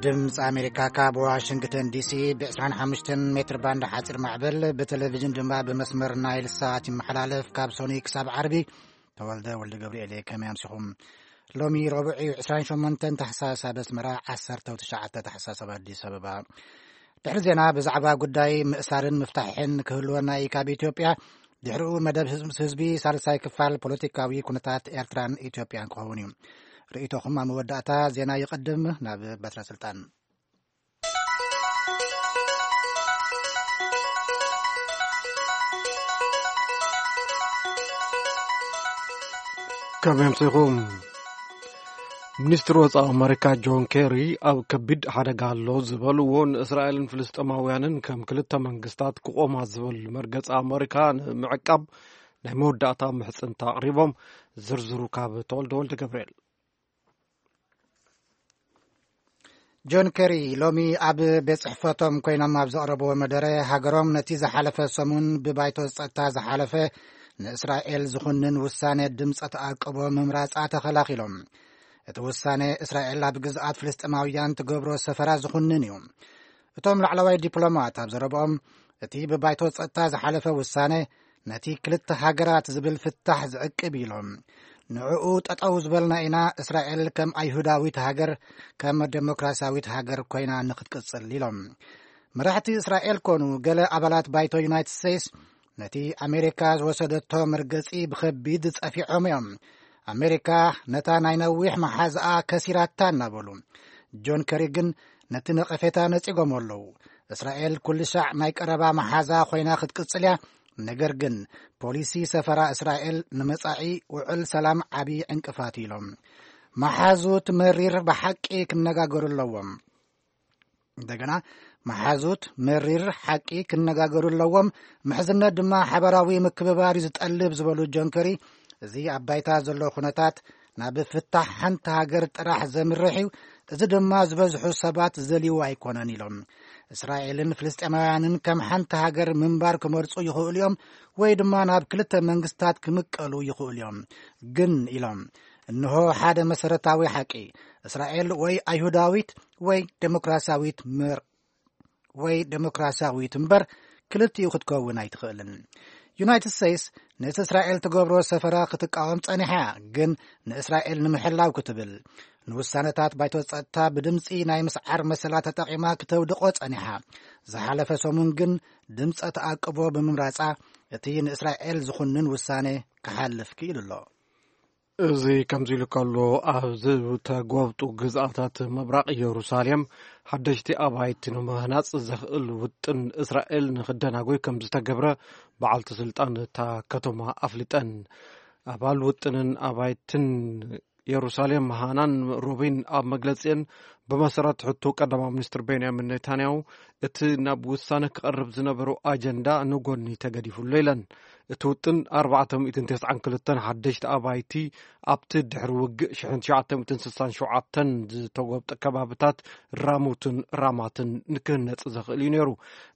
ድምፂ ኣሜሪካ ካብ ዋሽንግተን ዲሲ ብ ዕስራን ሓሙሽተን ሜትር ባንድ ሓፂር ማዕበል፣ ብቴሌቪዥን ድማ ብመስመር ናይል ሳት ይመሓላለፍ። ካብ ሶኒ ክሳብ ዓርቢ። ተወልደ ወልደ ገብርኤል እየ። ከመይ ኣምሲኹም? ሎሚ ረቡዕ እዩ፣ ዕስራን ሸሞንተን ታሕሳስ ኣብ ኣስመራ፣ ዓሰርተ ትሽዓተ ታሕሳስ ኣብ ኣዲስ ኣበባ። ድሕሪ ዜና ብዛዕባ ጉዳይ ምእሳርን ምፍታሕን ክህልወና እዩ ካብ ኢትዮጵያ። ድሕሪኡ መደብ ህዝቢ፣ ህዝቢ ሳልሳይ ክፋል ፖለቲካዊ ኩነታት ኤርትራን ኢትዮጵያን ክኸውን እዩ። ርእይቶኹም ኣብ መወዳእታ ዜና ይቕድም። ናብ በትረ ስልጣን። ከመይ ኣምሲኹም? ሚኒስትሪ ወጻኢ ኣመሪካ ጆን ኬሪ ኣብ ከቢድ ሓደጋ ኣሎ ዝበልዎ ንእስራኤልን ፍልስጤማውያንን ከም ክልተ መንግስታት ክቖማ ዝብል መርገጺ ኣመሪካ ንምዕቃብ ናይ መወዳእታ ምሕጽንታ ኣቕሪቦም። ዝርዝሩ ካብ ተወልደ ወልደ ገብርኤል። ጆን ኬሪ ሎሚ ኣብ ቤት ጽሕፈቶም ኮይኖም ኣብ ዘቕረብዎ መደረ፣ ሃገሮም ነቲ ዝሓለፈ ሰሙን ብባይቶ ጸጥታ ዝሓለፈ ንእስራኤል ዝኹንን ውሳኔ ድምጸ ተኣቅቦ ምምራጻ ተኸላኺሎም። እቲ ውሳኔ እስራኤል ኣብ ግዝኣት ፍልስጤማውያን ትገብሮ ሰፈራ ዝኹንን እዩ። እቶም ላዕለዋይ ዲፕሎማት ኣብ ዘረብኦም፣ እቲ ብባይቶ ጸጥታ ዝሓለፈ ውሳኔ ነቲ ክልተ ሃገራት ዝብል ፍታሕ ዝዕቅብ ኢሎም። ንዕኡ ጠጠው ዝበልና ኢና፣ እስራኤል ከም ኣይሁዳዊት ሃገር፣ ከም ደሞክራሲያዊት ሃገር ኮይና ንክትቅጽል ኢሎም። መራሕቲ እስራኤል ኮኑ ገለ ኣባላት ባይቶ ዩናይትድ ስቴትስ ነቲ ኣሜሪካ ዝወሰደቶ መርገጺ ብኸቢድ ጸፊዖም እዮም። ኣሜሪካ ነታ ናይ ነዊሕ መሓዝኣ ከሲራታ እናበሉ፣ ጆን ከሪ ግን ነቲ ነቐፌታ ነጺጎም ኣለዉ። እስራኤል ኩሉ ሻዕ ናይ ቀረባ መሓዛ ኮይና ክትቅጽል እያ፣ ነገር ግን ፖሊሲ ሰፈራ እስራኤል ንመጻኢ ውዕል ሰላም ዓቢ ዕንቅፋት እዩ ኢሎም። መሓዙት መሪር ብሓቂ ክነጋገሩ ኣለዎም። እንደገና፣ መሓዙት መሪር ሓቂ ክነጋገሩ ኣለዎም። ምሕዝነት ድማ ሓበራዊ ምክብባር እዩ ዝጠልብ ዝበሉ ጆን ከሪ፣ እዚ ኣብ ባይታ ዘሎ ኩነታት ናብ ፍታሕ ሓንቲ ሃገር ጥራሕ ዘምርሕ እዩ። እዚ ድማ ዝበዝሑ ሰባት ዘልይዎ ኣይኮነን ኢሎም። እስራኤልን ፍልስጤማውያንን ከም ሓንቲ ሃገር ምንባር ክመርጹ ይኽእሉ እዮም፣ ወይ ድማ ናብ ክልተ መንግስታት ክምቀሉ ይኽእሉ እዮም። ግን ኢሎም፣ እንሆ ሓደ መሰረታዊ ሓቂ፣ እስራኤል ወይ ኣይሁዳዊት ወይ ዴሞክራሲያዊት ምር-፣ ወይ ዴሞክራሲያዊት እምበር ክልቲኡ ክትከውን ኣይትኽእልን። ዩናይትድ ስቴትስ ነቲ እስራኤል ትገብሮ ሰፈራ ክትቃወም ጸኒሓ እያ፣ ግን ንእስራኤል ንምሕላው ክትብል ንውሳነታት ባይቶ ጸጥታ ብድምጺ ናይ ምስዓር መሰላ ተጠቒማ ክተውድቖ ጸኒሓ። ዝሓለፈ ሰሙን ግን ድምጸ ተኣቅቦ ብምምራጻ እቲ ንእስራኤል ዝኹንን ውሳኔ ክሓልፍ ክኢሉ ኣሎ። እዚ ከምዚ ኢሉ ከሎ፣ ኣብ ዝተጎብጡ ግዝኣታት ምብራቕ ኢየሩሳሌም ሓደሽቲ ኣባይቲ ንምህናጽ ዘኽእል ውጥን እስራኤል ንኽደናጎይ ከም ዝተገብረ በዓልቲ ስልጣን እታ ከተማ ኣፍሊጠን። ኣባል ውጥንን ኣባይትን ኢየሩሳሌም ሃናን ሩቢን ኣብ መግለጺአን፣ ብመሰረት ሕቶ ቀዳማይ ሚኒስትር ቤንያሚን ኔታንያሁ፣ እቲ ናብ ውሳነ ክቐርብ ዝነበሮ ኣጀንዳ ንጎኒ ተገዲፉ ኣሎ ኢለን። እቲ ውጥን ኣርባዕተ ሚእትን ተስዓን ክልተን ሓደሽቲ ኣባይቲ ኣብቲ ድሕሪ ውግእ ሽሕን ትሽዓተ ሚእትን ስሳን ሸውዓተን ዝተጎብጠ ከባብታት ራሙትን ራማትን ንክህነጽ ዘኽእል እዩ ነይሩ።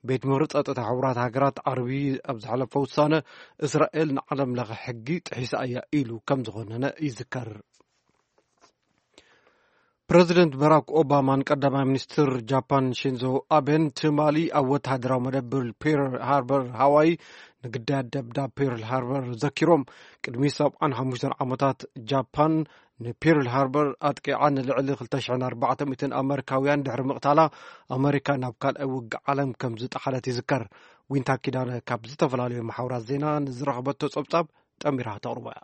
ቤት ምኽሪ ጸጥታ ሕቡራት ሃገራት ዓርቢ ኣብ ዝሓለፈ ውሳነ፣ እስራኤል ንዓለም ለኸ ሕጊ ጥሒሳ እያ ኢሉ ከም ዝኾነነ ይዝከር። ፕረዚደንት ባራክ ኦባማን ቀዳማይ ሚኒስትር ጃፓን ሺንዞ ኣቤን ትማሊ ኣብ ወተሃደራዊ መደብር ፒርል ሃርበር ሃዋይ ንግዳያት ደብዳብ ፒርል ሃርበር ዘኪሮም። ቅድሚ ሰብዓን ሓሙሽተን ዓመታት ጃፓን ንፒርል ሃርበር ኣጥቂዓ ንልዕሊ ክልተ ሽሕን ኣርባዕተ ሚእትን ኣመሪካውያን ድሕሪ ምቕታላ፣ ኣመሪካ ናብ ካልኣይ ውግእ ዓለም ከም ዝጠሓለት ይዝከር። ዊንታ ኪዳነ ካብ ዝተፈላለዩ መሓውራት ዜና ንዝረኸበቶ ጸብጻብ ጠሚራ ተቕርቦ እያ።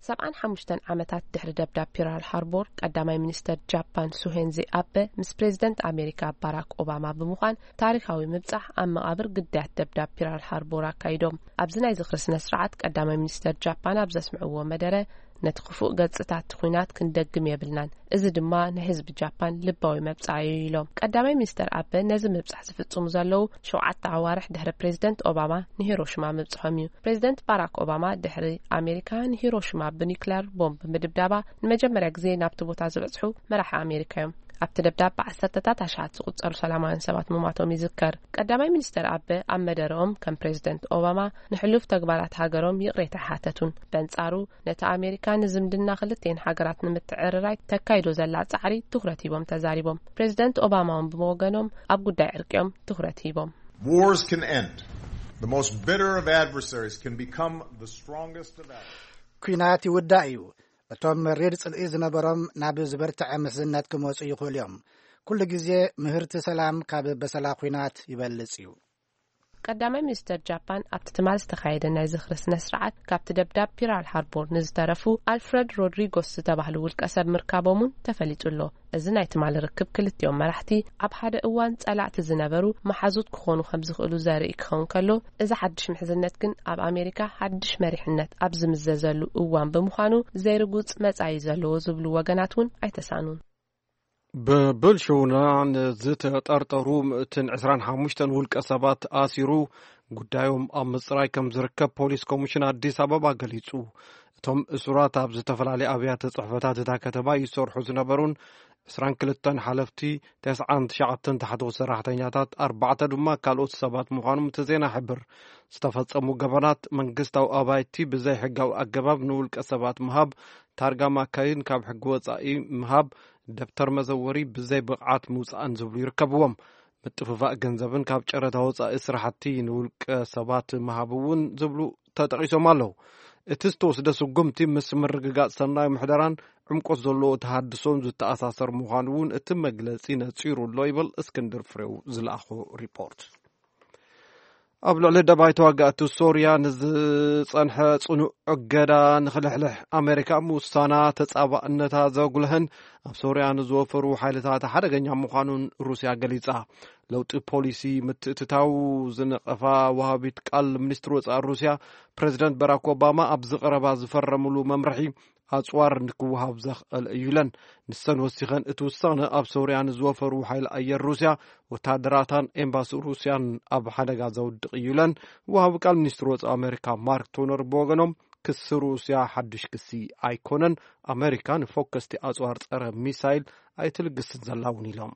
ሰብዓን ሓሙሽተን ዓመታት ድሕሪ ደብዳብ ፒራል ሃርቦር፣ ቀዳማይ ሚኒስተር ጃፓን ሱሄንዚ ኣበ ምስ ፕሬዚደንት ኣሜሪካ ባራክ ኦባማ ብምዃን ታሪኻዊ ምብጻሕ ኣብ መቓብር ግዳያት ደብዳብ ፒራል ሃርቦር ኣካይዶም። ኣብዚ ናይ ዝኽሪ ስነ ስርዓት ቀዳማይ ሚኒስተር ጃፓን ኣብ ዘስምዕዎ መደረ፣ ነቲ ክፉእ ገጽታት ኲናት ክንደግም የብልናን፣ እዚ ድማ ንህዝቢ ጃፓን ልባዊ መብጽዓ እዩ ኢሎም። ቀዳማይ ሚኒስተር ኣበ ነዚ ምብጻሕ ዝፍጽሙ ዘለዉ ሸውዓተ ኣዋርሕ ድሕሪ ፕሬዚደንት ኦባማ ንሂሮሽማ ምብጽሖም እዩ። ፕሬዚደንት ባራክ ኦባማ ድሕሪ ኣሜሪካ ንሂሮሽማ ብኒክለር ቦምብ ምድብዳባ ንመጀመርያ ግዜ ናብቲ ቦታ ዝበጽሑ መራሒ ኣሜሪካ እዮም። ኣብቲ ደብዳብ ብዓሰርተታት ኣሽሓት ዝቑጸሩ ሰላማውያን ሰባት ምሟቶም ይዝከር። ቀዳማይ ሚኒስተር ኣበ ኣብ መደረኦም፣ ከም ፕሬዚደንት ኦባማ፣ ንሕሉፍ ተግባራት ሃገሮም ይቕሬታ ኣይሓተቱን። በንጻሩ፣ ነቲ ኣሜሪካ ንዝምድና ክልቲኤን ሃገራት ንምትዕርራይ ተካይዶ ዘላ ጻዕሪ ትኹረት ሂቦም ተዛሪቦም። ፕሬዚደንት ኦባማ እውን ብወገኖም፣ ኣብ ጉዳይ ዕርቂኦም ትኹረት ሂቦም። Wars can end. The most bitter of adversaries can become the strongest of allies. ኲናት ይውዳእ እዩ። እቶም መሪር ጽልኢ ዝነበሮም ናብ ዝበርትዐ ምሕዝነት ክመጹ ይኽእሉ እዮም። ኩሉ ግዜ ምህርቲ ሰላም ካብ በሰላ ኲናት ይበልጽ እዩ። ቀዳማይ ሚኒስተር ጃፓን ኣብቲ ትማል ዝተኻየደ ናይ ዝኽሪ ስነ ስርዓት፣ ካብቲ ደብዳብ ፒራል ሃርቦር ንዝተረፉ ኣልፍረድ ሮድሪጎስ ዝተባህሉ ውልቀ ሰብ ምርካቦም እውን ተፈሊጡ ኣሎ። እዚ ናይ ትማል ርክብ፣ ክልቲኦም መራሕቲ ኣብ ሓደ እዋን ጸላእቲ ዝነበሩ መሓዙት ክኾኑ ከም ዝኽእሉ ዘርኢ ክኸውን ከሎ፣ እዚ ሓድሽ ምሕዝነት ግን ኣብ ኣሜሪካ ሓድሽ መሪሕነት ኣብ ዝምዘዘሉ እዋን ብምዃኑ፣ ዘይርጉጽ መጻኢ ዘለዎ ዝብሉ ወገናት እውን ኣይተሳኑን። ብብልሽውና ንዝተጠርጠሩ ምእትን ዕስራን ሓሙሽተን ውልቀ ሰባት ኣሲሩ፣ ጉዳዮም ኣብ ምጽራይ ከም ዝርከብ ፖሊስ ኮሚሽን ኣዲስ ኣበባ ገሊጹ። እቶም እሱራት ኣብ ዝተፈላለዩ ኣብያተ ጽሕፈታት እታ ከተማ ይሰርሑ ዝነበሩን ዕስራን ክልተን ሓለፍቲ፣ ተስዓን ትሽዓተን ታሕቲ ሰራሕተኛታት፣ ኣርባዕተ ድማ ካልኦት ሰባት ምዃኖም እቲ ዜና ይሕብር። ዝተፈጸሙ ገበናት፣ መንግስታዊ ኣባይቲ ብዘይ ሕጋዊ ኣገባብ ንውልቀ ሰባት ምሃብ፣ ታርጋ ማካይን ካብ ሕጊ ወጻኢ ምሃብ፣ ደብተር መዘወሪ ብዘይ ብቕዓት ምውጻእን ዝብሉ ይርከብዎም። ምጥፍፋእ ገንዘብን ካብ ጨረታ ወጻኢ ስራሕቲ ንውልቀ ሰባት ምሃብ እውን ዝብሉ ተጠቒሶም ኣለዉ። እቲ ዝተወስደ ስጉምቲ ምስ ምርግጋጽ ሰናይ ምሕደራን ዕምቆት ዘለዎ ተሃድሶን ዝተኣሳሰር ምዃኑ እውን እቲ መግለጺ ነጺሩ ኣሎ ይብል እስክንድር ፍሬው ዝለኣኾ ሪፖርት። ኣብ ልዕሊ ደባይ ተዋጋእቲ ሶርያ ንዝጸንሐ ጽኑዕ እገዳ ንኽልሕልሕ ኣሜሪካ ምውሳና ተጻባእነታ ዘጉልህን ኣብ ሶርያ ንዝወፈሩ ሓይልታት ሓደገኛ ምዃኑን ሩስያ ገሊጻ። ለውጢ ፖሊሲ ምትእትታው ዝነቐፋ ወሃቢት ቃል ሚኒስትሪ ወጻኢ ሩስያ፣ ፕሬዚደንት ባራክ ኦባማ ኣብዚ ቀረባ ዝፈረምሉ መምርሒ ኣጽዋር ንክወሃብ ዘኽእል እዩ ኢለን። ንሰን ወሲኸን፣ እቲ ውሳነ ኣብ ሶርያ ንዝወፈሩ ሓይሊ ኣየር ሩስያ፣ ወታደራታን ኤምባሲ ሩስያን ኣብ ሓደጋ ዘውድቕ እዩ ኢለን። ወሃቢ ቃል ሚኒስትሪ ወጻኢ ኣሜሪካ ማርክ ቶነር ብወገኖም፣ ክሲ ሩስያ ሓድሽ ክሲ ኣይኮነን፣ ኣሜሪካ ንፎከስቲ ኣጽዋር ጸረ ሚሳይል ኣይትልግስን ዘላ እውን ኢሎም።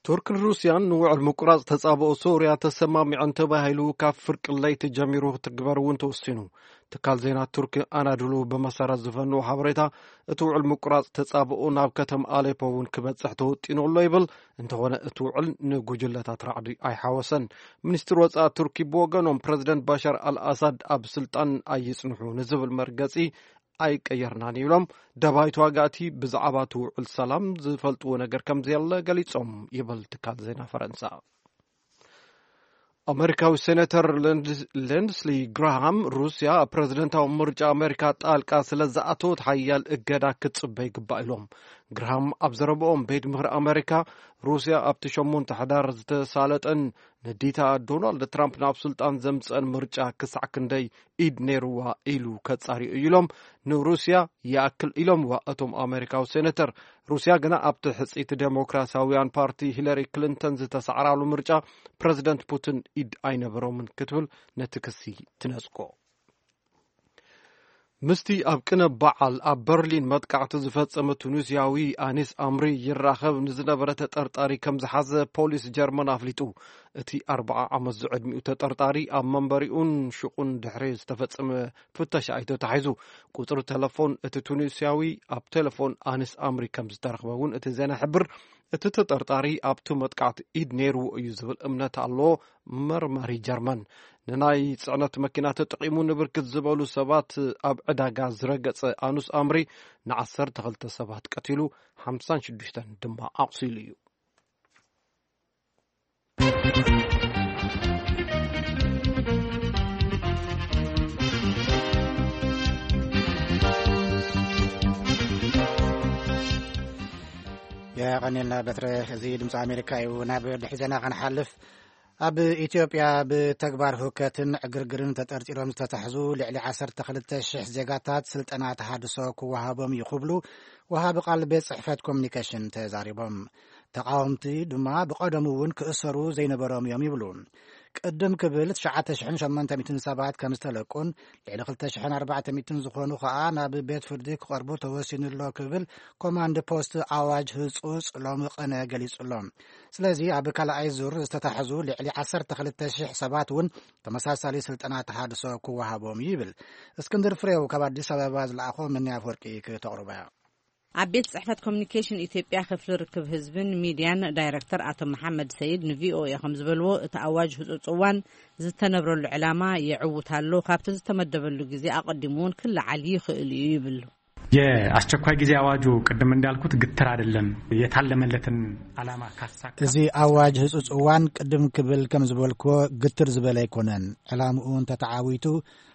ቱርክን ሩስያን ንውዕል ምቁራጽ ተጻብኦ ሶርያ ተሰማሚዐን ተባሂሉ ካብ ፍርቂ ለይቲ ጀሚሩ ክትግበር እውን ተወሲኑ። ትካል ዜና ቱርኪ ኣናዶሉ ብመሰረት ዝፈነዎ ሓበሬታ፣ እቲ ውዕል ምቁራጽ ተጻብኦ ናብ ከተማ ኣሌፖ እውን ክበጽሕ ተወጢኑ ኣሎ ይብል። እንተኾነ እቲ ውዕል ንጉጅለታት ራዕዲ ኣይሓወሰን። ሚኒስትሪ ወጻኢ ቱርኪ ብወገኖም፣ ፕረዚደንት ባሻር ኣልኣሳድ ኣብ ስልጣን ኣይጽንሑ ንዝብል መርገጺ ኣይቀየርናን ይብሎም። ደባይ ተዋጋእቲ ብዛዕባ እቲ ውዕል ሰላም ዝፈልጥዎ ነገር ከም ዘየለ ገሊጾም ይብል ትካል ዜና ፈረንሳ። ኣመሪካዊ ሴኔተር ሌንድስ-፣ ሌንድስሊ ግራሃም፣ ሩስያ ኣብ ፕረዚደንታዊ ምርጫ ኣመሪካ ጣልቃ ስለ ዝኣተወት ሓያል እገዳ ክትጽበ ይግባእ ኢሎም። ግራሃም ኣብ ዘረብኦም፣ ቤት ምኽሪ ኣመሪካ፣ ሩስያ ኣብቲ ሸሞንተ ሕዳር ዝተሳለጠን ንዲታ ዶናልድ ትራምፕ ናብ ስልጣን ዘምጽአን ምርጫ ክሳዕ ክንደይ ኢድ ነይርዋ ኢሉ ከጻርዮ እዩ ኢሎም ንሩስያ ይኣክል ኢሎምዋ እቶም ኣሜሪካዊ ሴኔተር። ሩስያ ግና ኣብቲ ሕጽይቲ ዴሞክራሲያውያን ፓርቲ ሂለሪ ክሊንተን ዝተሳዕራሉ ምርጫ ፕረዚደንት ፑቲን ኢድ ኣይነበሮምን ክትብል ነቲ ክሲ ትነጽጎ። ምስቲ ኣብ ቅነ በዓል ኣብ በርሊን መጥቃዕቲ ዝፈጸመ ቱኒዝያዊ ኣኒስ ኣምሪ ይራኸብ ንዝነበረ ተጠርጣሪ ከም ዝሓዘ ፖሊስ ጀርመን ኣፍሊጡ። እቲ ኣርብዓ ዓመት ዝዕድሚኡ ተጠርጣሪ ኣብ መንበሪኡን ሹቑን ድሕሪ ዝተፈጸመ ፍተሻ እዩ ተታሒዙ። ቁጽሪ ተለፎን እቲ ቱኒዝያዊ ኣብ ቴሌፎን ኣኒስ ኣምሪ ከም ዝተረኽበ እውን እቲ ዜና ይሕብር። እቲ ተጠርጣሪ ኣብቲ መጥቃዕቲ ኢድ ነይርዎ እዩ ዝብል እምነት ኣሎ መርማሪ ጀርመን። ንናይ ጽዕነት መኪና ተጠቒሙ ንብርክት ዝበሉ ሰባት ኣብ ዕዳጋ ዝረገጸ ኣኑስ ኣምሪ ንዓሰርተ ክልተ ሰባት ቀቲሉ፣ ሓምሳን ሽዱሽተን ድማ ኣቑሲሉ እዩ። የቐኔልና በትረ። እዚ ድምፂ ኣሜሪካ እዩ። ናብ ድሕሪ ዜና ክንሓልፍ፣ ኣብ ኢትዮጵያ ብተግባር ህውከትን ዕግርግርን ተጠርጢሮም ዝተታሕዙ ልዕሊ ዓሰርተ ክልተ ሽሕ ዜጋታት ስልጠና ተሃድሶ ክወሃቦም እዩ ክብሉ ወሃቢ ቃል ቤት ጽሕፈት ኮሚኒኬሽን ተዛሪቦም። ተቓወምቲ ድማ ብቐደሙ እውን ክእሰሩ ዘይነበሮም እዮም ይብሉ። ቅድም ክብል ትሽዓተ ሽሕን ሸሞንተ ሚእትን ሰባት ከም ዝተለቁን፣ ልዕሊ ክልተ ሽሕን ኣርባዕተ ሚእትን ዝኾኑ ኸኣ ናብ ቤት ፍርዲ ክቐርቡ ተወሲኑ ኣሎ ክብል ኮማንድ ፖስት ኣዋጅ ህጹጽ ሎሚ ቅነ ገሊጹ ኣሎ። ስለዚ ኣብ ካልኣይ ዙር ዝተታሕዙ ልዕሊ ዓሰርተ ክልተ ሽሕ ሰባት እውን ተመሳሳሊ ስልጠና ተሃድሶ ክወሃቦም እዩ ይብል። እስክንድር ፍሬው ካብ ኣዲስ ኣበባ ዝለኣኾ ምንያ ኣፈወርቂ ክተቕርቦ እያ። ኣብ ቤት ጽሕፈት ኮሚኒኬሽን ኢትዮጵያ ክፍሊ ርክብ ህዝብን ሚድያን ዳይረክተር ኣቶ መሓመድ ሰይድ ንቪኦኤ ከም ዝበልዎ፣ እቲ ኣዋጅ ህጹጽ እዋን ዝተነብረሉ ዕላማ የዕውት ኣሎ፣ ካብቲ ዝተመደበሉ ግዜ ኣቐዲሙ እውን ክለዓል ይኽእል እዩ ይብል። የአስቸኳይ ጊዜ አዋጁ ቅድም እንዳልኩት ግትር አይደለም። የታለመለትን ዓላማ ካሳካ እዚ ኣዋጅ ህጹጽ እዋን ቅድም ክብል ከም ዝበልክዎ ግትር ዝበለ ኣይኮነን። ዕላምኡ እንተተዓዊቱ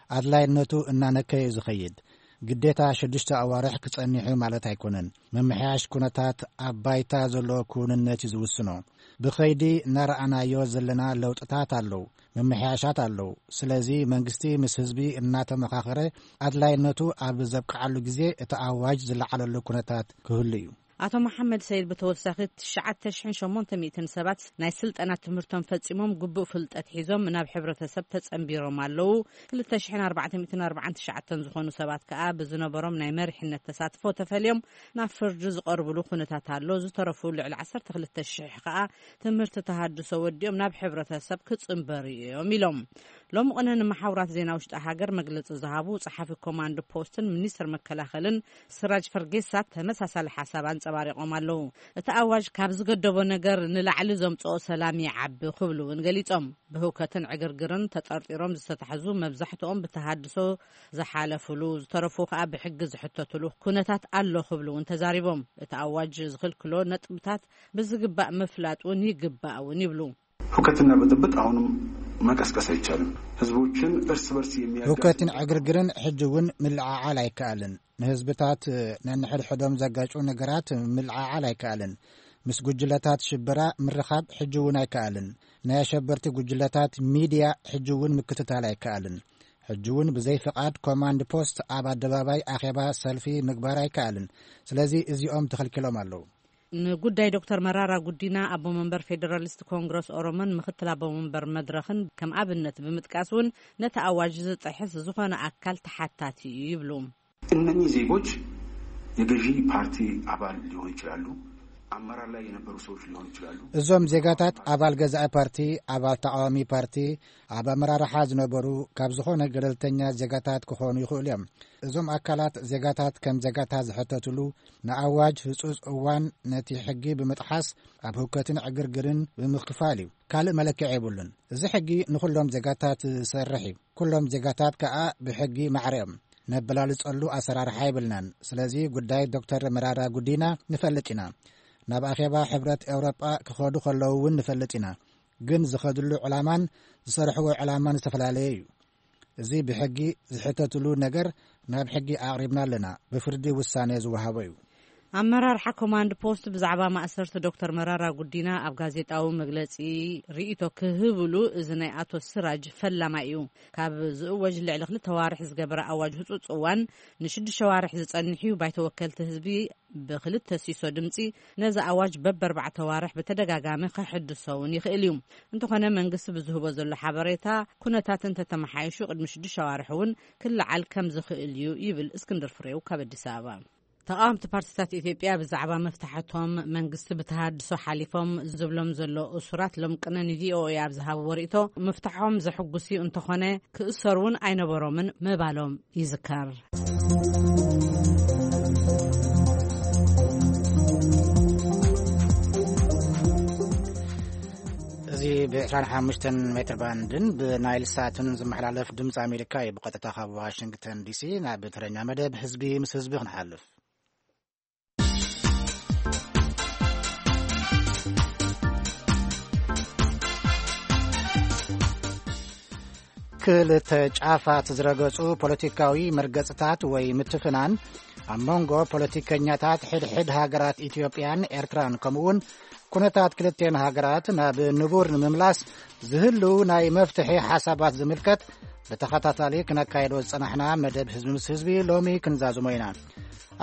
ኣድላይነቱ እናነከየ እዩ ዝኸይድ። ግዴታ ሽዱሽተ ኣዋርሕ ክጸንሕ እዩ ማለት ኣይኮነን። ምምሕያሽ ኩነታት ኣብ ባይታ ዘሎ ክውንነት እዩ ዝውስኖ። ብኸይዲ እናረኣናዮ ዘለና ለውጥታት ኣለዉ፣ ምምሕያሻት ኣለዉ። ስለዚ መንግስቲ ምስ ህዝቢ እናተመኻኸረ ኣድላይነቱ ኣብ ዘብቅዓሉ ግዜ እቲ ኣዋጅ ዝለዓለሉ ኩነታት ክህሉ እዩ። ኣቶ መሓመድ ሰይድ ብተወሳኺ ትሽዓተ ሽሕን ሸሞንተ ሚእትን ሰባት ናይ ስልጠና ትምህርቶም ፈጺሞም ግቡእ ፍልጠት ሒዞም ናብ ሕብረተሰብ ተጸንቢሮም ኣለዉ። ክልተ ሽሕን ኣርባዕተ ሚእትን ኣርባዓን ትሽዓተን ዝኾኑ ሰባት ከኣ ብዝነበሮም ናይ መሪሕነት ተሳትፎ ተፈልዮም ናብ ፍርዲ ዝቐርብሉ ኩነታት ኣሎ። ዝተረፉ ልዕሊ ዓሰርተ ክልተ ሽሕ ከኣ ትምህርቲ ተሃድሶ ወዲኦም ናብ ሕብረተሰብ ክጽንበሩ እዮም ኢሎም። ሎሚ ቅነ ንመሓውራት ዜና ውሽጢ ሃገር መግለጺ ዝሃቡ ጸሓፊ ኮማንድ ፖስትን ሚኒስትር መከላኸልን ስራጅ ፈርጌሳ ተመሳሳሊ ሓሳብ ኣንጸባሪቖም ኣለዉ። እቲ ኣዋጅ ካብ ዝገደቦ ነገር ንላዕሊ ዘምጽኦ ሰላም ይዓቢ ክብሉ እውን ገሊጾም። ብህውከትን ዕግርግርን ተጠርጢሮም ዝተታሕዙ መብዛሕትኦም ብተሃድሶ ዝሓለፉሉ፣ ዝተረፉ ከኣ ብሕጊ ዝሕተቱሉ ኩነታት ኣሎ ክብሉ እውን ተዛሪቦም። እቲ ኣዋጅ ዝኽልክሎ ነጥብታት ብዝግባእ ምፍላጥ እውን ይግባእ እውን ይብሉ። ሁከትና ብጥብጥ አሁንም መቀስቀስ አይቻልም። ህዝቦችን እርስ በርስ የሚያጋጭ ህውከትን ዕግርግርን ሕጂ እውን ምልዓዓል ኣይከኣልን። ንህዝብታት ነንሕድሕዶም ዘጋጩ ነገራት ምልዓዓል ኣይከኣልን። ምስ ጉጅለታት ሽበራ ምርኻብ ሕጂ እውን ኣይከኣልን። ናይ ኣሸበርቲ ጉጅለታት ሚድያ ሕጂ እውን ምክትታል ኣይከኣልን። ሕጂ እውን ብዘይ ፍቓድ ኮማንድ ፖስት ኣብ ኣደባባይ ኣኼባ ሰልፊ ምግባር ኣይከኣልን። ስለዚ እዚኦም ተኸልኪሎም ኣለዉ። ንጉዳይ ዶክተር መራራ ጉዲና ኣቦ መንበር ፌደራሊስት ኮንግረስ ኦሮሞን ምክትል ኣቦ መንበር መድረኽን ከም ኣብነት ብምጥቃስ እውን ነቲ ኣዋጅ ዝጥሕስ ዝኾነ ኣካል ተሓታቲ እዩ ይብሉ። እነኚህ ዜጎች የገዢ ፓርቲ አባል ሊሆኑ ይችላሉ፣ አመራር ላይ የነበሩ ሰዎች ሊሆኑ ይችላሉ። እዞም ዜጋታት ኣባል ገዛኢ ፓርቲ፣ ኣባል ተቃዋሚ ፓርቲ፣ ኣብ ኣመራርሓ ዝነበሩ ካብ ዝኾነ ገለልተኛ ዜጋታት ክኾኑ ይኽእሉ እዮም። እዞም ኣካላት ዜጋታት ከም ዜጋታት ዝሕተትሉ ንኣዋጅ ህጹጽ እዋን ነቲ ሕጊ ብምጥሓስ ኣብ ህውከትን ዕግርግርን ብምክፋል እዩ። ካልእ መለክዒ የብሉን። እዚ ሕጊ ንኹሎም ዜጋታት ዝሰርሕ እዩ። ኩሎም ዜጋታት ከኣ ብሕጊ ማዕረ እዮም። ነበላልጸሉ ኣሰራርሓ የብልናን። ስለዚ ጉዳይ ዶክተር መራራ ጉዲና ንፈልጥ ኢና። ናብ ኣኼባ ሕብረት ኤውሮጳ ክኸዱ ከለዉ እውን ንፈልጥ ኢና። ግን ዝኸድሉ ዕላማን ዝሰርሕዎ ዕላማን ዝተፈላለየ እዩ። እዚ ብሕጊ ዝሕተትሉ ነገር ናብ ሕጊ ኣቕሪብና ኣለና። ብፍርዲ ውሳኔ ዝወሃቦ እዩ። ኣመራርሓ ኮማንድ ፖስት ብዛዕባ ማእሰርቲ ዶክተር መራራ ጉዲና ኣብ ጋዜጣዊ መግለጺ ርእይቶ ክህብሉ፣ እዚ ናይ ኣቶ ስራጅ ፈላማይ እዩ። ካብ ዝእወጅ ልዕሊ ክልተ ዋርሕ ዝገበረ ኣዋጅ ህጹጽ እዋን ንሽዱሽተ ዋርሕ ዝጸንሕ እዩ። ባይቶ ወከልቲ ህዝቢ ብክልተ ሲሶ ድምጺ ነዚ ኣዋጅ በበርባዕተ ዋርሕ ብተደጋጋሚ ከሕድሶ እውን ይኽእል እዩ። እንተኾነ መንግስቲ ብዝህቦ ዘሎ ሓበሬታ ኩነታት እንተተመሓይሹ ቅድሚ ሽዱሽተ ዋርሕ እውን ክለዓል ከም ዝኽእል እዩ ይብል እስክንድር ፍሬው ካብ ኣዲስ ኣበባ። ተቃወምቲ ፓርቲታት ኢትዮጵያ ብዛዕባ መፍታሕቶም መንግስቲ ብተሃድሶ ሓሊፎም ዝብሎም ዘሎ እሱራት ሎም ቅነ ንቪኦኤ ኣብ ዝሃብዎ ርእቶ ምፍታሖም ዘሕጉስ እዩ፣ እንተኾነ ክእሰሩ እውን ኣይነበሮምን ምባሎም ይዝከር። እዚ ብ ዕስራን ሓሙሽተን ሜትር ባንድን ብናይል ሳትን ዝመሓላለፍ ድምፂ ኣሜሪካ እዩ። ብቐጥታ ካብ ዋሽንግተን ዲሲ ናብ ትረኛ መደብ ህዝቢ ምስ ህዝቢ ክንሓልፍ። ክልተ ጫፋት ዝረገጹ ፖለቲካዊ መርገጽታት ወይ ምትፍናን ኣብ መንጎ ፖለቲከኛታት ሕድሕድ ሃገራት ኢትዮጵያን ኤርትራን፣ ከምኡውን ኩነታት ክልቴን ሃገራት ናብ ንቡር ንምምላስ ዝህልው ናይ መፍትሒ ሓሳባት ዝምልከት ብተኸታታሊ ክነካየዶ ዝጸናሕና መደብ ህዝቢ ምስ ህዝቢ ሎሚ ክንዛዝሞ ኢና።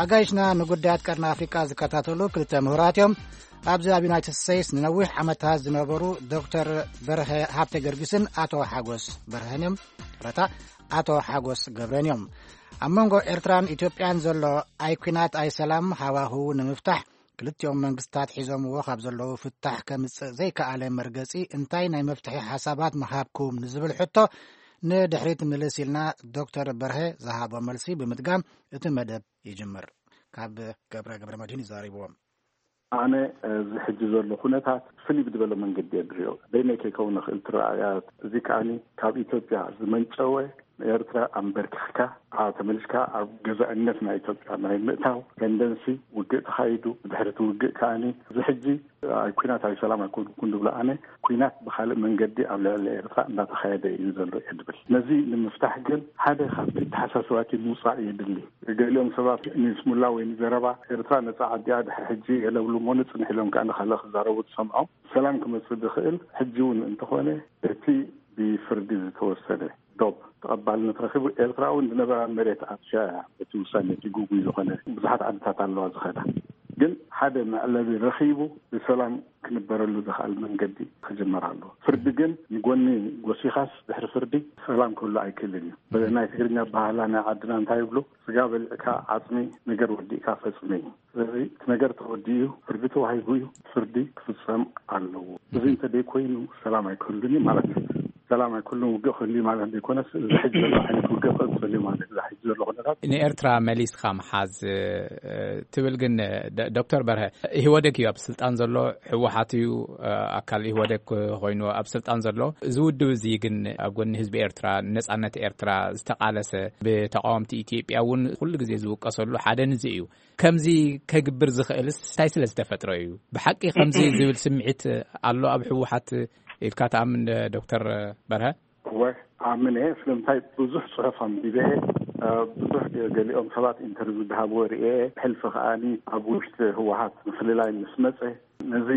ኣጋይሽና ንጉዳያት ቀርኒ ኣፍሪቃ ዝከታተሉ ክልተ ምሁራት እዮም። ኣብዚ ኣብ ዩናይትድ ስቴትስ ንነዊሕ ዓመታት ዝነበሩ ዶክተር በርሀ ሃብተ ገርጊስን ኣቶ ሓጎስ በርሀን እዮም። ረታ ኣቶ ሓጎስ ገብረን እዮም። ኣብ መንጎ ኤርትራን ኢትዮጵያን ዘሎ ኣይ ኲናት ኣይ ሰላም ሃዋሁ ንምፍታሕ ክልቲኦም መንግስታት ሒዞምዎ ካብ ዘለዉ ፍታሕ ከምጽእ ዘይከኣለ መርገጺ እንታይ ናይ መፍትሒ ሓሳባት ምሃብኩም ንዝብል ሕቶ ንድሕሪት ምልስ ኢልና ዶክተር በርሀ ዝሃቦ መልሲ ብምድጋም እቲ መደብ ይጅምር። ካብ ገብረ ገብረ መድህን ይዛሪብዎም። ኣነ እዚ ሕጂ ዘሎ ኩነታት ፍልይ ብዝበለ መንገዲ እየ ዝሪኦ። በይነይ ከይከውን ይኽእል እቲ ረኣያ። እዚ ከኣኒ ካብ ኢትዮጵያ ዝመንጨወ ንኤርትራ ኣንበርኪኽካ፣ ኣብ ተመሊስካ ኣብ ገዛእነት ናይ ኢትዮጵያ ናይ ምእታው ተንደንሲ ውግእ ተኻይዱ። ብድሕሪ እቲ ውግእ ከኣኒ እዚ ሕጂ ኣይ ኲናት ኣይ ሰላም ኣይኮንኩን ዝብሎ ኣነ፣ ኲናት ብኻልእ መንገዲ ኣብ ልዕሊ ኤርትራ እንዳተኻየደ እዩ ዘሎ እየ ዝብል። ነዚ ንምፍታሕ ግን ሓደ ካብቲ ተሓሳስባቲ ምውፃእ የድሊ። ገሊኦም ሰባት ንስሙላ ወይ ንዘረባ ኤርትራ ነፃ ዓዲያ ድሕሪ ሕጂ የለብሉ እሞ ንፅንሕ ኢሎም ከኣ ንኻልእ ክዛረቡ ትሰምዖም። ሰላም ክመፅእ ዝኽእል ሕጂ እውን እንተኾነ እቲ ብፍርዲ ዝተወሰነ ዶብ ተቐባልነት ረኺቡ። ኤርትራ እውን ዝነበራ መሬት ኣጥፊኣ እያ። እቲ ውሳነ እቲ ግጉይ ዝኾነ ብዙሓት ዓድታት ኣለዋ ዝኸዳ። ግን ሓደ መዕለቢ ረኺቡ ብሰላም ክንበረሉ ዝኽእል መንገዲ ክጅመር ኣለዎ። ፍርዲ ግን ንጎኒ ጎሲኻስ ድሕሪ ፍርዲ ሰላም ክህሉ ኣይክእልን እዩ። ናይ ትግርኛ ባህላ ናይ ዓድና እንታይ ይብሉ? ስጋ በሊዕካ ዓጽሚ፣ ነገር ወዲእካ ፈጽሚ እዩ። ስለዚ እቲ ነገር ተወዲኡ እዩ፣ ፍርዲ ተዋሂቡ እዩ፣ ፍርዲ ክፍጸም ኣለዎ። እዚ እንተደይኮይኑ ሰላም ኣይክህሉን እዩ ማለት እዩ። ሰላም ኣይክህሉን ውግእ ክህሉ እዩ ማለት ዘይኮነስ፣ እዚ ሕጂ ዘሎ ዓይነት ውግእ ክቕጽል እዩ ማለት እዩ። እዚ ሕጂ ዘሎ ኩነታት ንኤርትራ መሊስካ ምሓዝ፣ እ፣ ትብል ግን፣ እ፣ ደ-፣ ዶክተር በርሀ፣ ኢህወደግ እዩ ኣብ ስልጣን ዘሎ፣ ህወሓት እዩ፣ እ፣ ኣካል ኢህወደግ ኮይኑ ኣብ ስልጣን ዘሎ። እዚ ውድብ እዚ ግን ኣብ ጎኒ ህዝቢ ኤርትራ፣ ነጻነት ኤርትራ ዝተቓለሰ፣ ብተቃወምቲ ኢትዮጵያ እውን ኩሉ ግዜ ዝውቀሰሉ ሓደ ንዚ እዩ። ከምዚ ከግብር ዝኽእልስ እንታይ ስለ ዝተፈጥረ እዩ? ብሓቂ ከምዚ ዝብል ስምዒት ኣሎ ኣብ ህወሓት ኢልካ ትኣምን ዶ፣ ዶክተር በርሀ? እወ፣ ኣምን እየ። ስለምንታይ ብዙሕ ጽሑፍ ኣንቢበ እየ። እ፣ ብዙሕ ገ-፣ ገሊኦም ሰባት ኢንተርቪው ዝሃብዎ ርእየ እየ። ብሕልፊ ከኣኒ ኣብ ውሽጢ ህወሓት ምፍልላይ ምስ መጸ፣ ነዚ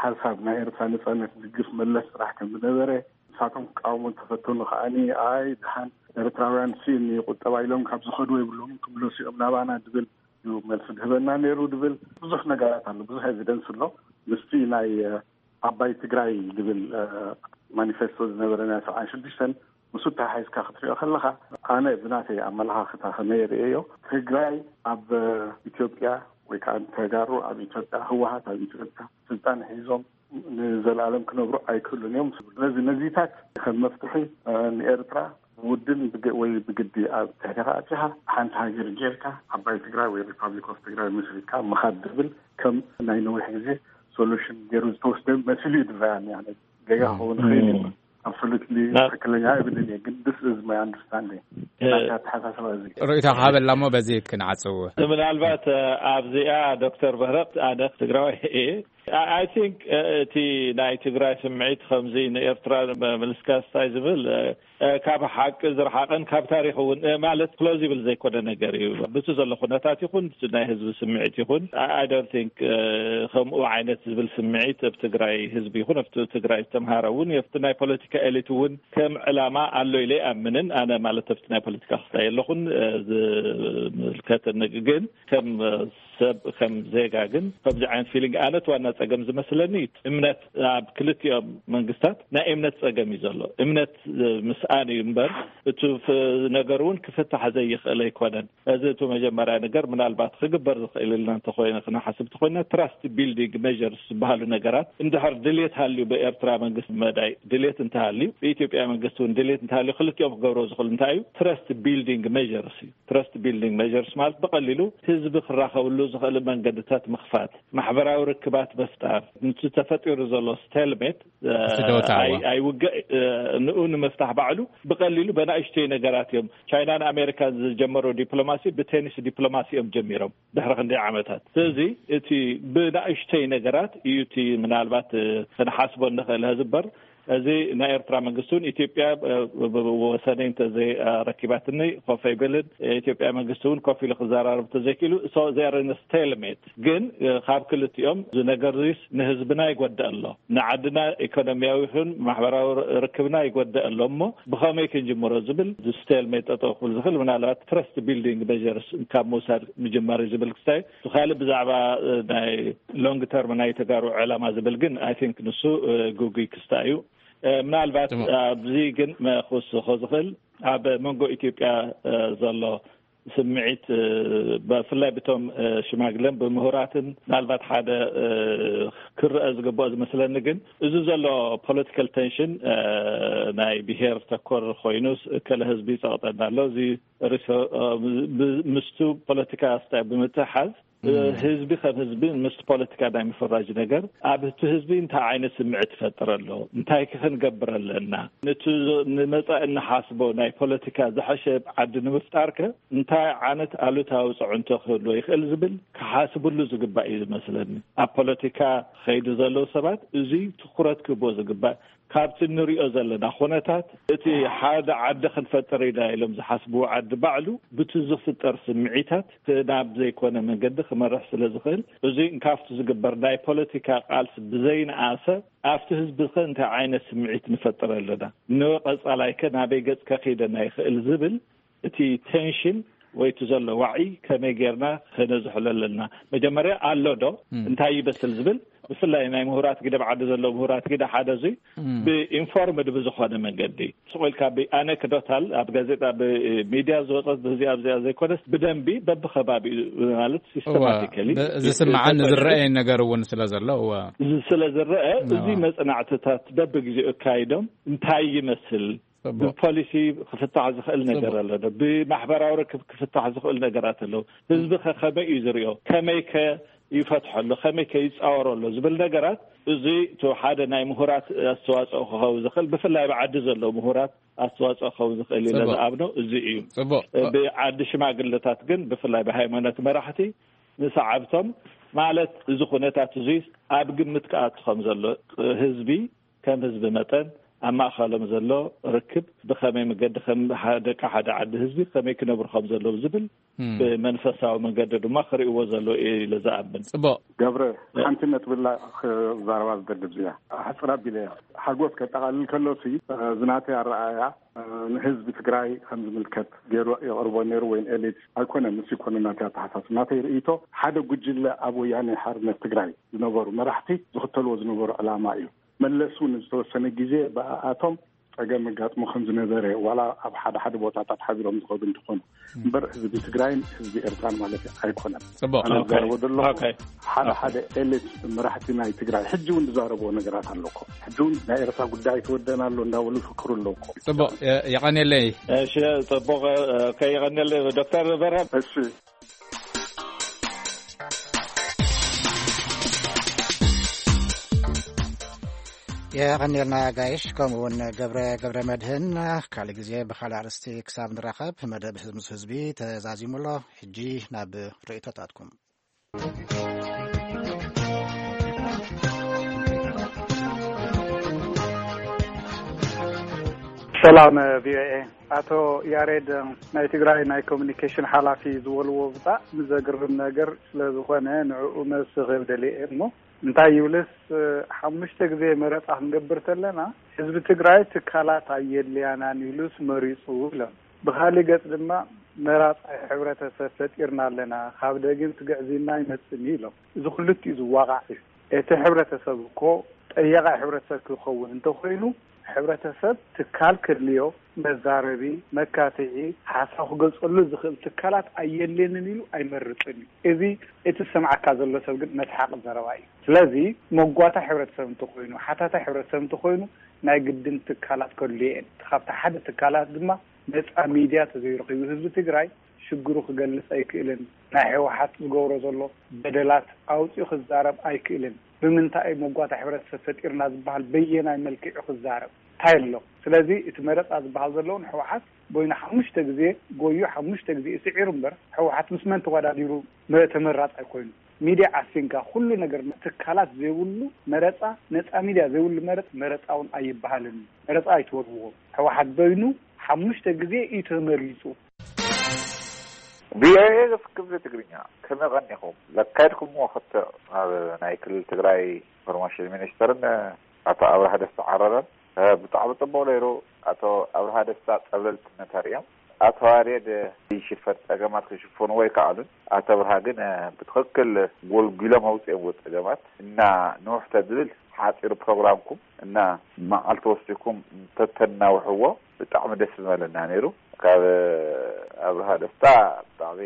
ሓሳብ ናይ ኤርትራ ነጻነት ዝግፍ መለስ ጥራሕ ከም ዝነበረ፣ ንሳቶም ክቃወሙ እንተፈተኑ ከኣኒ፣ ኣይ፣ ደሓን ኤርትራውያን ስኢን እዩ ቁጠባ ኢሎም ካብ ዝኸዱ የብሎምን ክምለሱ እዮም ናባና ዝብል እዩ መልሲ ዝህበና ነይሩ ዝብል ብዙሕ ነገራት ኣሎ፣ ብዙሕ ኤቪደንስ ኣሎ። ምስቲ ናይ፣ እ፣ ዓባይ ትግራይ ዝብል፣ እ፣ ማኒፌስቶ ዝነበረ ናይ ሰብዓን ሽዱሽተን፣ ምስኡ ተሓሒዝካ ክትሪኦ ከለኻ፣ ኣነ ብናተይ ኣመለኻኽታ ከመይ ይርእዮ፣ ትግራይ ኣብ፣ እ፣ ኢትዮጵያ ወይ ከዓ ተጋሩ ኣብ ኢትዮጵያ፣ ህወሓት ኣብ ኢትዮጵያ ስልጣን ሒዞም ንዘለኣለም ክነብሩ ኣይክእሉን እዮም። ስለዚ ነዚታት ከም መፍትሒ፣ እ፣ ንኤርትራ ብውድን ብግ-፣ ወይ ብግዲ ኣብ ትሕቲኻ ኣቲኻ ሓንቲ ሃገር ጌርካ ዓባይ ትግራይ ወይ ሪፓብሊክ ኦፍ ትግራይ መስሪትካ ምኻድ ዝብል ከም ናይ ነዊሕ ግዜ ሶሉሽን ገይሩ ዝተወስደ መሲሉ እዩ ዝረኣየኒ። ኣነ ጌጋ ክኸውን ይኽእል እዩ። ኣብሶሉትሊ ትክክለኛ እብልን እየ፣ ግን this is my understanding። ናታ ኣተሓሳስባ እዚ ርእይቶ ክሃበላ እሞ በዚ ክንዓጽው። ምናልባት ኣብዚኣ ዶክተር በህረ፣ ኣነ ትግራዋይ እየ። I think እቲ ናይ ትግራይ ስምዒት ከምዚ ንኤርትራ ምልስካ ስታይ ዝብል ካብ ሓቂ ዝረሓቐን ካብ ታሪኽ እውን ማለት ፕሎዚብል ዘይኮነ ነገር እዩ። ብቲ ዘሎ ኩነታት ይኹን ብቲ ናይ ህዝቢ ስምዒት ይኹን I don't think ከምኡ ዓይነት ዝብል ስምዒት ኣብ ትግራይ ህዝቢ ይኹን ኣብቲ ትግራይ ዝተምሃረ እውን ኣብቲ ናይ ፖለቲካ ኤሊት እውን ከም ዕላማ ኣሎ ኢለ ኣይኣምንን። ኣነ ማለት ኣብቲ ናይ ፖለቲካ ክስታይ ኣለኹን ዝምልከተኒ ግን ከም ሰብ ከም ዜጋ ግን ከምዚ ዓይነት ፊሊንግ ኣነት ዋና ጸገም ዝመስለኒ እምነት ኣብ ክልቲኦም መንግስታት ናይ እምነት ጸገም እዩ ዘሎ። እምነት ምስኣን እዩ እምበር እቲ ነገር እውን ክፍታሕ ዘይኽእል ኣይኮነን። እዚ እቲ መጀመርያ ነገር ምናልባት ክግበር ዝኽእል ኢልና እንተኾይነ ክነሓስብ እንተኾይና ትራስት ቢልዲንግ ሜጀርስ ዝበሃሉ ነገራት እንድሕር ድልየት ሃልዩ ብኤርትራ መንግስቲ መዳይ ድልየት እንተሃልዩ ብኢትዮጵያ መንግስቲ እውን ድልየት እንተሃልዩ ክልቲኦም ክገብሮ ዝኽእሉ እንታይ እዩ? ትረስት ቢልዲንግ ሜጀርስ እዩ። ትረስት ቢልዲንግ ሜጀርስ ማለት ብቐሊሉ ህዝቢ ክራኸብሉ ዝኽእል መንገድታት ምኽፋት፣ ማሕበራዊ ርክባት ምፍጣር፣ ነቲ ተፈጢሩ ዘሎ ስቴልሜት ኣይውግእ ንኡ ንምፍታሕ ባዕሉ ብቐሊሉ በናእሽተይ ነገራት እዮም። ቻይናን ኣሜሪካን ዝጀመሩ ዲፕሎማሲ ብቴኒስ ዲፕሎማሲ እዮም ጀሚሮም ድሕሪ ክንደይ ዓመታት። ስለዚ እቲ ብናእሽተይ ነገራት እዩ እቲ ምናልባት ክንሓስቦ እንኽእል ህዝበር እዚ ናይ ኤርትራ መንግስቲ እውን ኢትዮጵያ ወሰነይ እንተዘይረኪባትኒ ኮፍ ኣይብልን፣ ኢትዮጵያ መንግስቲ እውን ኮፍ ኢሉ ክዘራረብ እንተዘይክእሉ፣ so they are in a stalemate። ግን ካብ ክልቲኦም እዚ ነገር ዚስ ንህዝብና ይጎድእ ኣሎ፣ ንዓድና ኢኮኖሚያዊ ይኹን ማሕበራዊ ርክብና ይጎድእ ኣሎ እሞ ብኸመይ ክንጅምሮ ዝብል፣ stalemate ጠጠው ክብል ዝኽእል ምናልባት trust building measures ካብ ምውሳድ ምጅማር እዩ ዝብል ክስታይ። እቲ ካልእ ብዛዕባ ናይ long term ናይ ተጋሩ ዕላማ ዝብል ግን I think ንሱ ግጉይ ክስታይ እዩ። ምናልባት ኣብዚ ግን ክውስኾ ዝኽእል ኣብ መንጎ ኢትዮጵያ ዘሎ ስምዒት፣ ብፍላይ ብቶም ሽማግለን ብምሁራትን ምናልባት ሓደ ክረአ ዝግብኦ ዝመስለኒ ግን፣ እዚ ዘሎ political tension ናይ ብሄር ተኮር ኮይኑስ እከለ ህዝቢ ይፀቕጠና ኣሎ፣ እዚ ርእሰ ምስቱ ፖለቲካ ስታይ ብምትሓዝ፣ ህዝቢ ከም ህዝቢ ምስ ፖለቲካ ናይ ምፍራጅ ነገር ኣብ እቲ ህዝቢ እንታይ ዓይነት ስምዒት ይፈጥር ኣሎ፣ እንታይ ከ ክንገብር ኣለና፣ ነቲ ንመጻኢ እንሓስቦ ናይ ፖለቲካ ዝሐሸ ዓዲ ንምፍጣር ከ እንታይ ዓይነት ኣሉታዊ ጽዕንቶ ክህልዎ ይኽእል ዝብል ክሓስብሉ ዝግባእ እዩ ዝመስለኒ። ኣብ ፖለቲካ ኸይዱ ዘለዉ ሰባት እዚ ትኩረት ክህቦ ዝግባእ፣ ካብቲ እንሪኦ ዘለና ኩነታት እቲ ሓደ ዓዲ ክንፈጥር ኢና ኢሎም ዝሓስብዎ ዓዲ ባዕሉ ብቲ ዝፍጠር ስምዒታት ናብ ዘይኮነ መንገዲ ክመርሕ ስለ ዝኽእል፣ እዚ ካብቲ ዝግበር ናይ ፖለቲካ ቃልሲ ብዘይነኣሰ ኣብቲ ህዝቢ ከ እንታይ ዓይነት ስምዒት ንፈጥር ኣለና፣ ንቀጻላይ ከ ናበይ ገጽ ከኺደና ይኽእል ዝብል እቲ ቴንሽን ወይ እቲ ዘሎ ዋዒ ከመይ ጌርና ከነዝሕሎ ኣለና? መጀመርያ ኣሎ ዶ እንታይ ይበስል ዝብል፣ ብፍላይ ናይ ምሁራት ግደ ብዓዲ ዘሎ ምሁራት ግደ ሓደ እዙይ ብኢንፎርምድ ብዝኾነ መንገዲ ስቑ ኢልካ ብኣነክዶታል ኣብ ጋዜጣ ብሚድያ ዝወፀት ብዚኣ ኣብዚኣ ዘይኮነስ ብደንቢ በብከባቢኡ ማለት ሲስተማቲካሊ ዝስምዓን ዝረአየን ነገር እውን ስለ ዘሎ እወ ስለ ዝረአ እዚ መፅናዕትታት በብግዜኡ ኣካይዶም እንታይ ይመስል ብፖሊሲ ክፍታሕ ዝኽእል ነገር ኣሎ ዶ? ብማሕበራዊ ርክብ ክፍታሕ ዝኽእል ነገራት ኣለዉ። ህዝቢ ከ ከመይ እዩ ዝሪኦ? ከመይ ከ ይፈትሖ ኣሎ? ከመይ ከ ይፃወሮ ኣሎ? ዝብል ነገራት እዚ እቲ ሓደ ናይ ምሁራት ኣስተዋፅኦ ክኸውን ዝኽእል ብፍላይ ብዓዲ ዘለዉ ምሁራት ኣስተዋፅኦ ክኸውን ዝኽእል ኢለ ዝኣምኖ እዚ እዩ። ብዓዲ ሽማግለታት ግን ብፍላይ ብሃይማኖት መራሕቲ ንሰዓብቶም ማለት እዚ ኩነታት እዚ ኣብ ግምት ክኣቱ ከም ዘሎ ህዝቢ ከም ህዝቢ መጠን ኣብ ማእኸሎም ዘሎ ርክብ ብኸመይ መገዲ ከም ደቂ ሓደ ዓዲ ህዝቢ ከመይ ክነብሩ ከም ዘለዉ ዝብል ብመንፈሳዊ መንገዲ ድማ ክርእይዎ ዘለዉ እየ ኢለ ዝኣምን። ፅቡቕ ገብረ፣ ሓንቲ ነጥብላ ክዛረባ ዝደሊ እዚኣ ሓፅር ኣቢለ እያ። ሓጎስ ከጠቓልል ከሎ ሲ ዝናተይ ኣረኣያ ንህዝቢ ትግራይ ከም ዝምልከት ገይሩ የቕርቦ ነይሩ ወይን ኤሊት ኣይኮነን። ምስ ይኮነ ናተይ ኣተሓሳስብ ናተይ ርእይቶ ሓደ ጉጅለ ኣብ ወያነ ሓርነት ትግራይ ዝነበሩ መራሕቲ ዝኽተልዎ ዝነበሩ ዕላማ እዩ። መለስ እውን ዝተወሰነ ግዜ ብኣኣቶም ፀገም ኣጋጥሞ ከም ዝነበረ ዋላ ኣብ ሓደ ሓደ ቦታታት ሓቢሮም ዝኸዱ እንትኾኑ እምበር ህዝቢ ትግራይን ህዝቢ ኤርትራን ማለት ኣይኮነን። ፅቡቅ ኣነ ዝዛረቦ ዘለኹ ሓደ ሓደ ኤሊት መራሕቲ ናይ ትግራይ ሕጂ እውን ዝዛረብዎ ነገራት ኣሎ እኮ። ሕጂ እውን ናይ ኤርትራ ጉዳይ ተወደና ኣሎ እንዳበሉ ይፍክሩ ኣለዉ እኮ። ፅቡቅ የቐንየለይ። እሺ ፅቡቅ ከይቐንየለይ ዶክተር በረም። እሺ የቐንየልና ጋይሽ፣ ከምኡ እውን ገብረ ገብረ መድህን። ካልእ ግዜ ብኻልእ ኣርእስቲ ክሳብ ንራኸብ መደብ ህዝቢ ምስ ህዝቢ ተዛዚሙ ኣሎ። ሕጂ ናብ ርእይቶታትኩም። ሰላም ቪኦኤ። ኣቶ ያሬድ፣ ናይ ትግራይ ናይ ኮሚኒኬሽን ሓላፊ ዝበልዎ ብጣዕሚ ዘግርም ነገር ስለ ዝኾነ ንዕኡ መልሲ ክህብ ደልየ እየ። እሞ እንታይ ይብልስ፣ ሓሙሽተ ግዜ መረፃ ክንገብር ተለና ህዝቢ ትግራይ ትካላት ኣየድልያናን ኢሉስ መሪፁ ኢሎም። ብኻሊእ ገፅ ድማ መራፃይ ሕብረተሰብ ፈጢርና ኣለና፣ ካብ ደጊም ትግዕዝና ኣይመፅን እዩ ኢሎም። እዚ ክልቲኡ ዝዋቃዕ እዩ። እቲ ሕብረተሰብ እኮ ጠያቃይ ሕብረተሰብ ክኸውን እንተኾይኑ ሕብረተሰብ ትካል ክድልዮ መዛረቢ፣ መካትዒ፣ ሓሳብ ክገልፀሉ ዝኽእል ትካላት ኣየድልየንን ኢሉ ኣይመርፅን እዩ። እዚ እቲ ዝሰምዓካ ዘሎ ሰብ ግን መስሓቂ ዘረባ እዩ። ስለዚ መጓታይ ሕብረተሰብ እንተኾይኑ፣ ሓታታይ ሕብረተሰብ እንተኾይኑ ናይ ግድን ትካላት ከድልዮ እየን። ካብቲ ሓደ ትካላት ድማ ነፃ ሚድያ ተዘይረኺቡ ህዝቢ ትግራይ ሽግሩ ክገልፅ ኣይክእልን። ናይ ህወሓት ዝገብሮ ዘሎ በደላት ኣውፂኡ ክዛረብ ኣይክእልን። ብምንታይ እዩ መጓታ ሕብረተሰብ ፈጢርና ዝበሃል በየናይ መልክዑ ክዛረብ እንታይ ኣሎ? ስለዚ እቲ መረፃ ዝበሃል ዘለውን ህወሓት ቦይና ሓሙሽተ ግዜ ጎዩ ሓሙሽተ ግዜ ስዒሩ እምበር ህወሓት ምስ መን ተወዳዲሩ መ- ተመራፃይ ኮይኑ ሚድያ ዓፊንካ ኩሉ ነገር ትካላት ዘይብሉ መረፃ፣ ነፃ ሚድያ ዘይብሉ መረፅ፣ መረፃ እውን ኣይበሃልን። መረፃ ኣይትወርዎ። ህወሓት በይኑ ሓሙሽተ ግዜ እዩ ተመሪፁ። ቪኦኤ ክፍሊ ትግርኛ፣ ከመይ ቀኒኹም? ለካየድኩምዎ ክትዕ ኣብ ናይ ክልል ትግራይ ኢንፎርሜሽን ሚኒስተርን ኣቶ ኣብርሃ ደስታ ዓረረን፣ እ፣ ብጣዕሚ ጽቡቕ ነይሩ። ኣቶ ኣብርሃ ደስታ ጸብለልትነት ኣርእዮም። ኣቶ ያሬድ፣ እ፣ ዝሽፈን ጸገማት ክሽፍንዎ ኣይከኣሉን። ኣቶ ኣብርሃ ግን፣ እ፣ ብትኽክል ጎልጒሎም ኣውጺኦምዎ ጸገማት። እና ንውሕ ተዝብል ሓጺሩ ፕሮግራምኩም እና መዓልቲ ወሲድኩም እንተተናውሕዎ ብጣዕሚ ደስ ምበለና ነይሩ። ካብ ኣብርሃ ደስታ ብጣዕሚ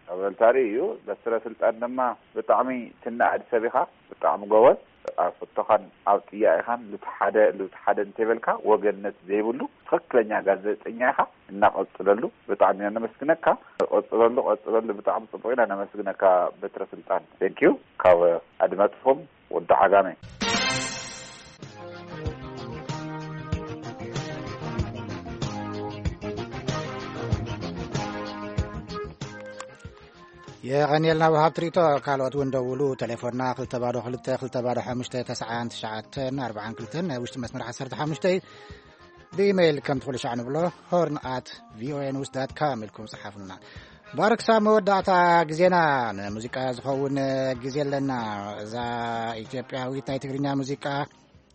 ጸብለልታ እዩ። በትረ ስልጣን ድማ ብጣዕሚ ትነኣድ ሰብ ኢኻ፣ ብጣዕሚ ጎበዝ። ኣብ ሕቶኻን ኣብ ጥያቄኻን ልቲ ሓደ፣ ልቲ ሓደ እንተይበልካ ወገንነት ዘይብሉ ትኽክለኛ ጋዜጠኛ ኢኻ። እናቐጽለሉ ብጣዕሚ ኢና ነመስግነካ። ቀጽለሉ፣ ቀጽለሉ። ብጣዕሚ ጽቡቕ ኢና ነመስግነካ በትረ ስልጣን። Thank you። ካብ ኣድማጽኹም ወዲ ዓጋመ። የቐንየልና ወሃብ ትርኢቶ። ካልኦት እውን ደውሉ። ቴሌፎንና ክልተ ባዶ ክልተ፣ ክልተ ባዶ ሓሙሽተ፣ ተስዓን ትሽዓተን ኣርባዓን ክልተን፣ ናይ ውሽጢ መስመር ዓሰርተ ሓሙሽተ እዩ። ብኢሜይል ከም ትኽእሉ ሻዕ ንብሎ፣ ሆርን ኣት ቪኦኤ ኒውስ ዳት ካም ኢልኩም ጸሓፉልና። ባርክ፣ ሳብ መወዳእታ ግዜና ንሙዚቃ ዝኸውን ግዜ ኣለና። እዛ ኢትዮጵያዊት ናይ ትግርኛ ሙዚቃ፣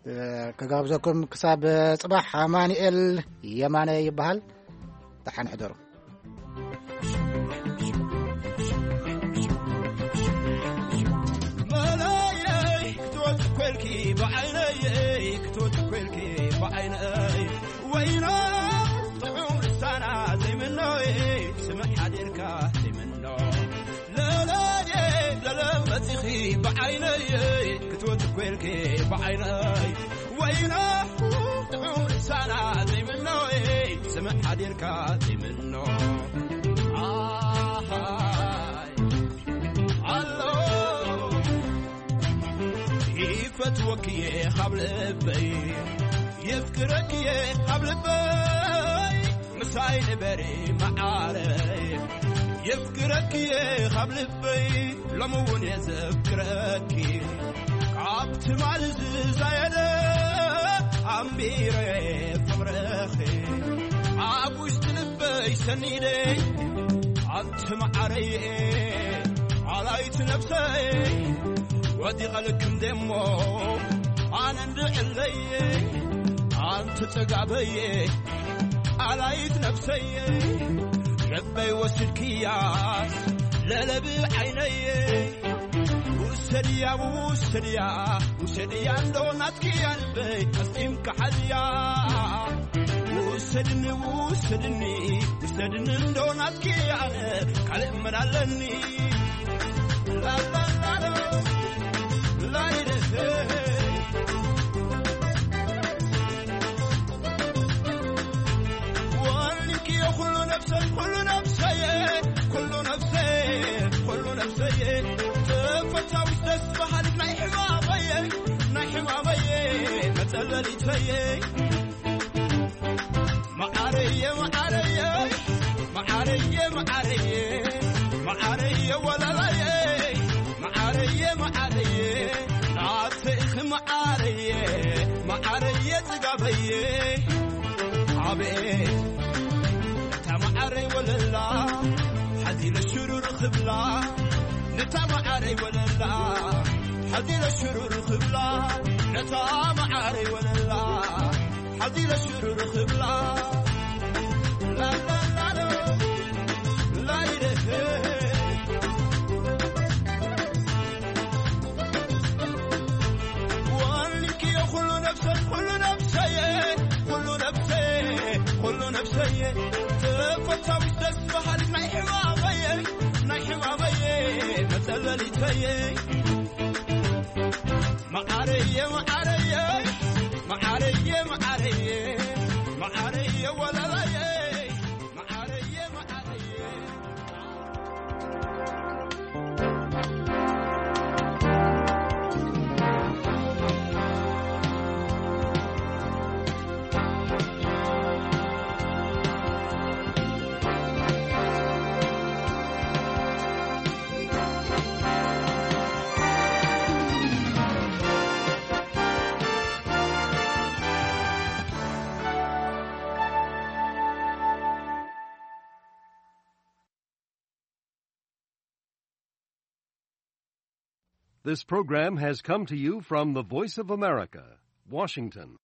እ፣ ክጋብዘኩም ክሳብ ጽባሕ። ኣማኑኤል የማነ ይበሃል። ደሓን ሕደሩ። መለይለይ ክትወጽእ ኮልኪ ብዓይነይ፣ ክትወጽእ ኮልኪ ብዓይነይ፣ ወይና ጥዑም ልሳና ዘይምኖይ፣ ስምዕ ሓዲርካ ዘይምኖ። ለለየ ለለ መጺኺ ብዓይነይ፣ ክትወጽእ ኮልኪ ብዓይነይ፣ ወይና ጥዑም ልሳና ዘይምኖይ፣ ስምዕ ሓዲርካ ዘይምኖ። ኣሃይ ኣሎ ይፈትወክየ ካብ ልበይ፣ የፍቅረክየ ካብ ልበይ፣ ምሳይ ንበሪ መዓረይ፣ የፍቅረክየ ካብ ልበይ፣ ሎሚ እውን የዘክረኪ። ካብ ትማሊ ዝዛየደ ኣንቢረ ፍቕርኺ፣ ኣብ ውሽጢ ልበይ ሰኒደ። ኣንቲ መዓረየ ኣላይት ነብሰይ፣ ወዲቐልክም ደሞ ኣነ እንድዕለየ። ኣንቲ ጽጋበየ ኣላይት ነብሰየ፣ ልበይ ወስድክያስ ለለብ ዓይነየ። ውሰድያ ውሰድያ ውሰድያ እንዶ ናትክያ ልበይ ኣስጢምካ ሓዝያ። ውሰድኒ ውሰድኒ ውሰድኒ እንዶ ናትክያ ኣነ ካልእ መን ኣለኒ? ላላላሎ ላይለሰ ወልኪ ኩሉ ነፍሰይ ኩሉ ነፍሰየ ኩሉ ነፍሰየ ኩሉ ነፍሰየ ተፈታዊት ደስ በሃሊት ናይ ሕማመየ ናይ ሕማመየ መጸለሊተየ። መዓረየ መዓረየ መዓረየ መዓረየ መዓረየ ወለላየ መዓረየ መዓረየ ናተይኺ መዓረየ መዓረየ ጽጋበየ። ኣቤት ነታ መዓረይ ወለላ ሓዚለ ሽሩር ክብላ፣ ነታ መዓረይ ወለላ ሓዚለ ሽሩር ክብላ፣ ነታ መዓረይ ወለላ ሓዚለ ሽሩር ክብላ። ላላላሎ ላይለሄ ወልክዮ ኩሉ ነብሰይ ኩሉ ነብሰየ ኩሉ ነብሰየ ኩሉ ነብሰየ ተፈታዊት ደስ በሃሊት ናይ ሕማመየ ናይ ሕማመየ መጸለሊተየ። መዓረየ መዓረየ መዓረየ መዓረየ መዓረየ ወለላየ መዓረየ መዓረየ። This program has come to you from the Voice of America, Washington.